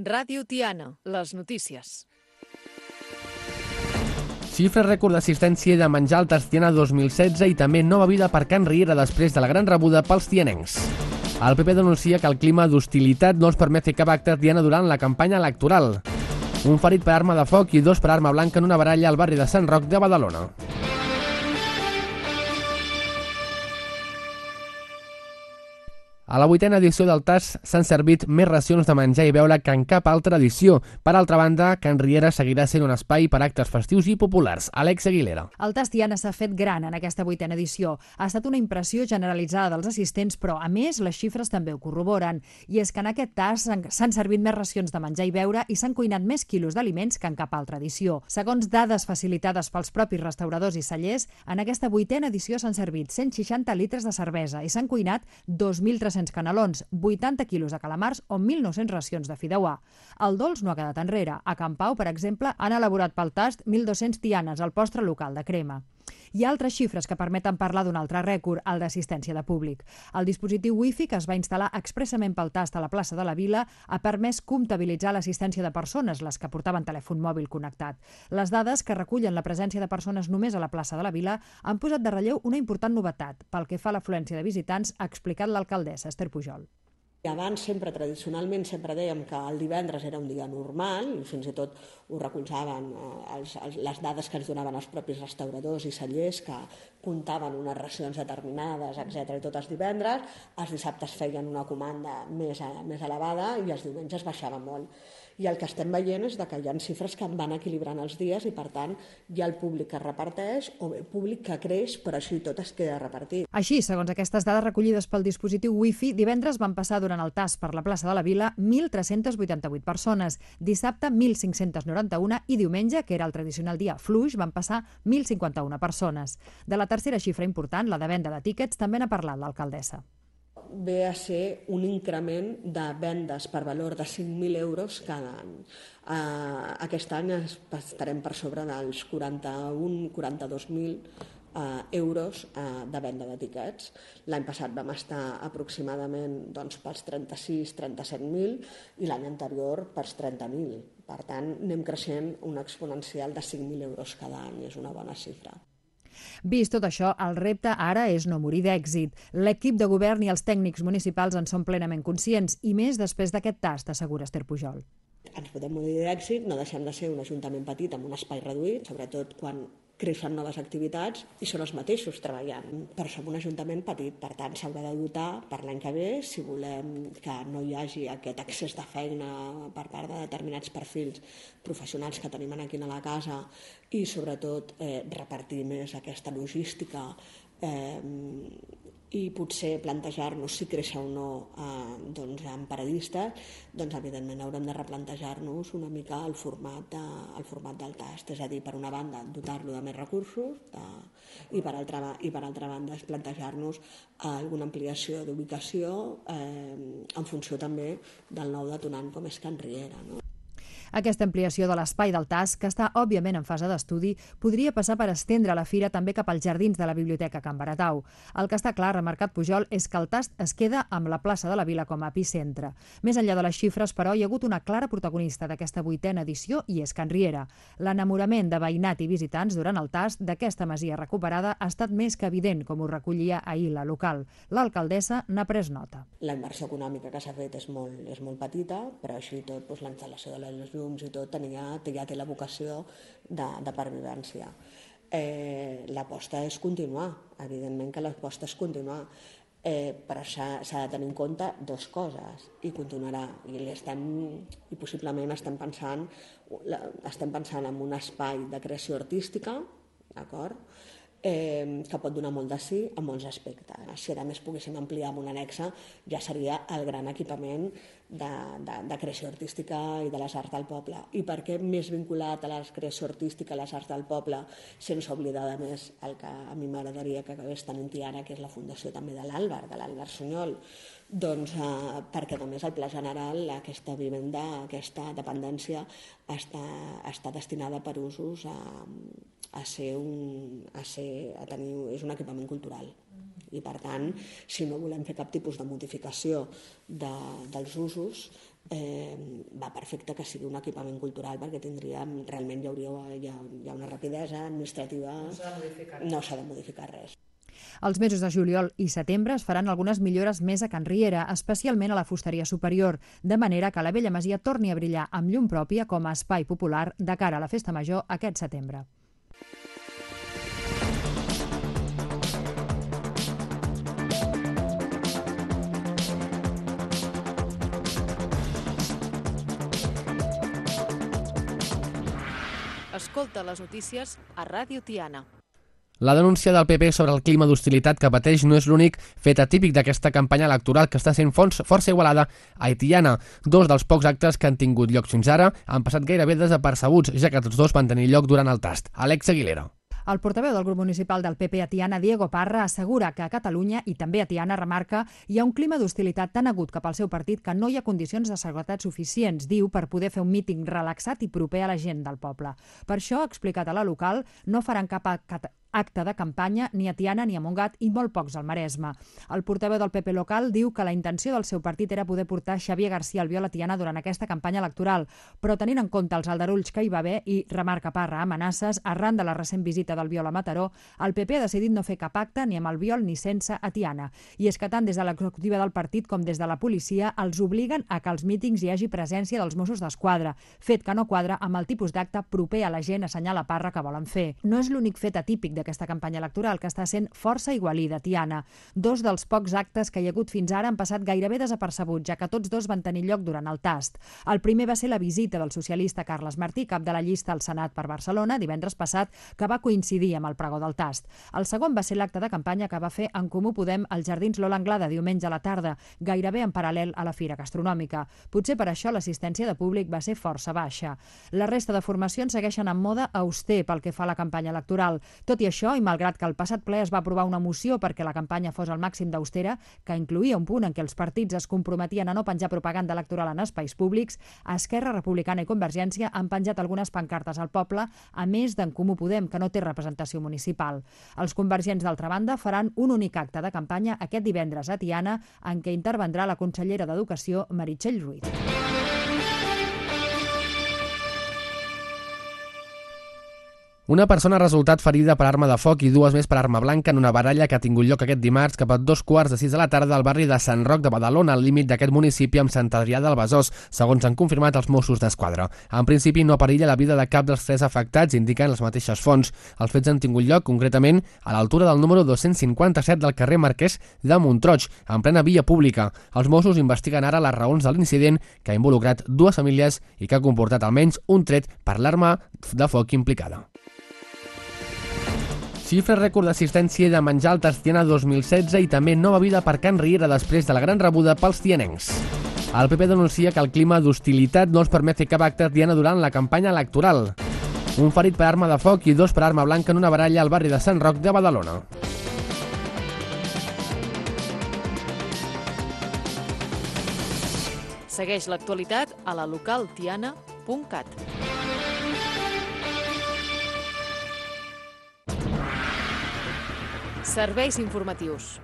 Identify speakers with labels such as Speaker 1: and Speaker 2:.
Speaker 1: Ràdio Tiana, les notícies.
Speaker 2: Xifra rècord d'assistència de menjar al Tas Tiana 2016 i també nova vida per Can Riera després de la gran rebuda pels tianencs. El PP denuncia que el clima d'hostilitat no els permet fer cap acte Tiana durant la campanya electoral. Un ferit per arma de foc i 2 per arma blanca en una baralla al barri de Sant Roc de Badalona. A la 8a edició del Tas s'han servit més racions de menjar i beure que en cap altra edició. Per altra banda, Can Riera seguirà sent un espai per actes festius i populars. Àlex Aguilera.
Speaker 3: El Tas Tiana s'ha fet gran en aquesta 8a edició. Ha estat una impressió generalitzada dels assistents, però, a més, les xifres també ho corroboren. I és que en aquest tas s'han servit més racions de menjar i beure i s'han cuinat més quilos d'aliments que en cap altra edició. Segons dades facilitades pels propis restauradors i cellers, en aquesta 8a edició s'han servit 160 litres de cervesa i s'han cuinat 2.300 canelons, 80 quilos de calamars o 1.900 racions de fideuà. El dolç no ha quedat enrere. A Can Pau, per exemple, han elaborat pel tast 1.200 tianes, el postre local de crema. Hi ha altres xifres que permeten parlar d'un altre rècord, el d'assistència de públic. El dispositiu Wi-Fi, que es va instal·lar expressament pel tast a la plaça de la Vila, ha permès comptabilitzar l'assistència de persones, les que portaven telèfon mòbil connectat. Les dades que recullen la presència de persones només a la plaça de la Vila han posat de relleu una important novetat. Pel que fa a l'afluència de visitants, ha explicat l'alcaldessa Esther Pujol.
Speaker 4: I abans, tradicionalment, sempre dèiem que el divendres era un dia normal, i fins i tot ho recolzaven les dades que ens donaven els propis restauradors i cellers, que comptaven unes racions determinades, etc. I tots els divendres, els dissabtes feien una comanda més elevada i els diumenges baixava molt. I el que estem veient és que hi ha xifres que van equilibrant els dies i, per tant, hi ha el públic que reparteix o el públic que creix, però així tot es queda repartit.
Speaker 3: Així, segons aquestes dades recollides pel dispositiu Wi-Fi, divendres van passar durant el tas per la plaça de la Vila 1.388 persones, dissabte 1.591 i diumenge, que era el tradicional dia fluix, van passar 1.051 persones. De la tercera xifra important, la de venda de tíquets, també n'ha parlat l'alcaldessa.
Speaker 4: Ve a ser un increment de vendes per valor de 5.000 euros cada any. Aquest any estarem per sobre dels 41-42.000 euros de venda de tiquets. L'any passat vam estar aproximadament pels 36-37.000 i l'any anterior pels 30.000. Per tant, anem creixent un exponencial de 5.000 euros cada any, és una bona xifra.
Speaker 3: Vist tot això, el repte ara és no morir d'èxit. L'equip de govern i els tècnics municipals en són plenament conscients, i més després d'aquest tast, assegura Esther Pujol.
Speaker 4: Ens podem morir d'èxit, no deixem de ser un ajuntament petit amb un espai reduït, sobretot quan creixen noves activitats i són els mateixos treballant. Però som un ajuntament petit, per tant s'haurà de dotar per l'any que ve, si volem que no hi hagi aquest excés de feina per part de determinats perfils professionals que tenim aquí a la casa i sobretot repartir més aquesta logística i potser plantejar-nos si créixer o no en paradistes, evidentment haurem de replantejar-nos una mica el format del tast, és a dir, per una banda dotar-lo de més recursos i per altra banda plantejar-nos alguna ampliació d'ubicació en funció també del nou detonant com és Can Riera, no?
Speaker 3: Aquesta ampliació de l'espai del tas, que està òbviament en fase d'estudi, podria passar per estendre la fira també cap als jardins de la Biblioteca Can Baratau. El que està clar, remarcat Pujol, és que el tast es queda amb la plaça de la Vila com a epicentre. Més enllà de les xifres, però, hi ha hagut una clara protagonista d'aquesta 8a edició i és Can Riera. L'enamorament de veïnat i visitants durant el tast d'aquesta masia recuperada ha estat més que evident, com ho recollia ahir la local. L'alcaldessa n'ha pres nota.
Speaker 4: La inversió econòmica que s'ha fet és molt petita, però així tot la instal·lació de les llums i tot ja té la vocació de pervivència. L'aposta és continuar, evidentment que l'aposta és continuar, però s'ha de tenir en compte dues coses i continuarà, i possiblement estem pensant en un espai de creació artística, d'acord? Que pot donar molt de sí en molts aspectes. Si a més poguéssim ampliar amb una anexa, ja seria el gran equipament de creació artística i de les arts del poble. I per què més vinculat a la creació artística, a les arts del poble, sense oblidar a més el que a mi m'agradaria que acabés tenint ara, que és la fundació també de l'Àlvar Sunyol, perquè només el Pla General, aquesta vivenda, aquesta dependència, està destinada per usos és un equipament cultural. I per tant, si no volem fer cap tipus de modificació dels usos, va perfecte que sigui un equipament cultural perquè realment hi ha una rapidesa administrativa, no s'ha de modificar res.
Speaker 3: Els mesos de juliol i setembre es faran algunes millores més a Can Riera, especialment a la fusteria superior, de manera que la vella masia torni a brillar amb llum pròpia com a espai popular de cara a la festa major aquest setembre.
Speaker 1: Escolta les notícies a Ràdio Tiana.
Speaker 2: La denúncia del PP sobre el clima d'hostilitat que pateix no és l'únic fet atípic d'aquesta campanya electoral que està sent força igualada a Tiana. Dos dels pocs actes que han tingut lloc fins ara han passat gairebé desapercebuts, ja que tots dos van tenir lloc durant el tast. Alex Aguilera.
Speaker 3: El portaveu del grup municipal del PP a Tiana, Diego Parra, assegura que a Catalunya, i també a Tiana, remarca, hi ha un clima d'hostilitat tan agut cap al seu partit que no hi ha condicions de seguretat suficients, diu, per poder fer un míting relaxat i proper a la gent del poble. Per això, ha explicat a la local, no faran cap acte de campanya ni a Tiana ni a Montgat i molt pocs al Maresme. El portaveu del PP local diu que la intenció del seu partit era poder portar Xavier García Albiol a Tiana durant aquesta campanya electoral, però tenint en compte els aldarulls que hi va haver i, remarca Parra, amenaces, arran de la recent visita d'Albiol a Mataró, el PP ha decidit no fer cap acte ni amb Albiol ni sense a Tiana. I és que tant des de l'executiva del partit com des de la policia els obliguen a que als mítings hi hagi presència dels Mossos d'Esquadra, fet que no quadra amb el tipus d'acte proper a la gent, assenyala Parra, que volen fer. No és l'únic fet atípic d'aquesta campanya electoral, que està sent força igualida a Tiana. Dos dels pocs actes que hi ha hagut fins ara han passat gairebé desapercebuts, ja que tots dos van tenir lloc durant el tast. El primer va ser la visita del socialista Carles Martí, cap de la llista al Senat per Barcelona, divendres passat, que va coincidir amb el pregó del tast. El segon va ser l'acte de campanya que va fer En Comú Podem als Jardins Lola Anglada diumenge a la tarda, gairebé en paral·lel a la Fira Gastronòmica. Potser per això l'assistència de públic va ser força baixa. La resta de formacions segueixen en moda auster pel que fa a la campanya electoral. Tot i això, i malgrat que al passat ple es va aprovar una moció perquè la campanya fos al màxim d'austera, que incloïa un punt en què els partits es comprometien a no penjar propaganda electoral en espais públics, Esquerra Republicana i Convergència han penjat algunes pancartes al poble, a més d'en Comú Podem, que no té representació municipal. Els convergents, d'altra banda, faran un únic acte de campanya aquest divendres a Tiana, en què intervendrà la consellera d'Educació, Meritxell Ruiz.
Speaker 2: Una persona ha resultat ferida per arma de foc i dues més per arma blanca en una baralla que ha tingut lloc aquest dimarts cap a 2:15 de la tarda al barri de Sant Roc de Badalona, al límit d'aquest municipi amb Sant Adrià del Besòs, segons han confirmat els Mossos d'Esquadra. En principi no perilla la vida de cap dels tres afectats, indiquen les mateixes fonts. Els fets han tingut lloc concretament a l'altura del número 257 del carrer Marquès de Montroig, en plena via pública. Els Mossos investiguen ara les raons de l'incident que ha involucrat dues famílies i que ha comportat almenys un tret per l'arma de foc implicada. Xifra rècord d'assistència i de menjar al tast Tiana 2016 i també nova vida per Can Riera després de la gran rebuda pels tianencs. El PP denuncia que el clima d'hostilitat no els permet fer cap acte a Tiana durant la campanya electoral. Un ferit per arma de foc i dos per arma blanca en una baralla al barri de Sant Roc de Badalona.
Speaker 1: Segueix l'actualitat a la localtiana.cat. Serveis informatius.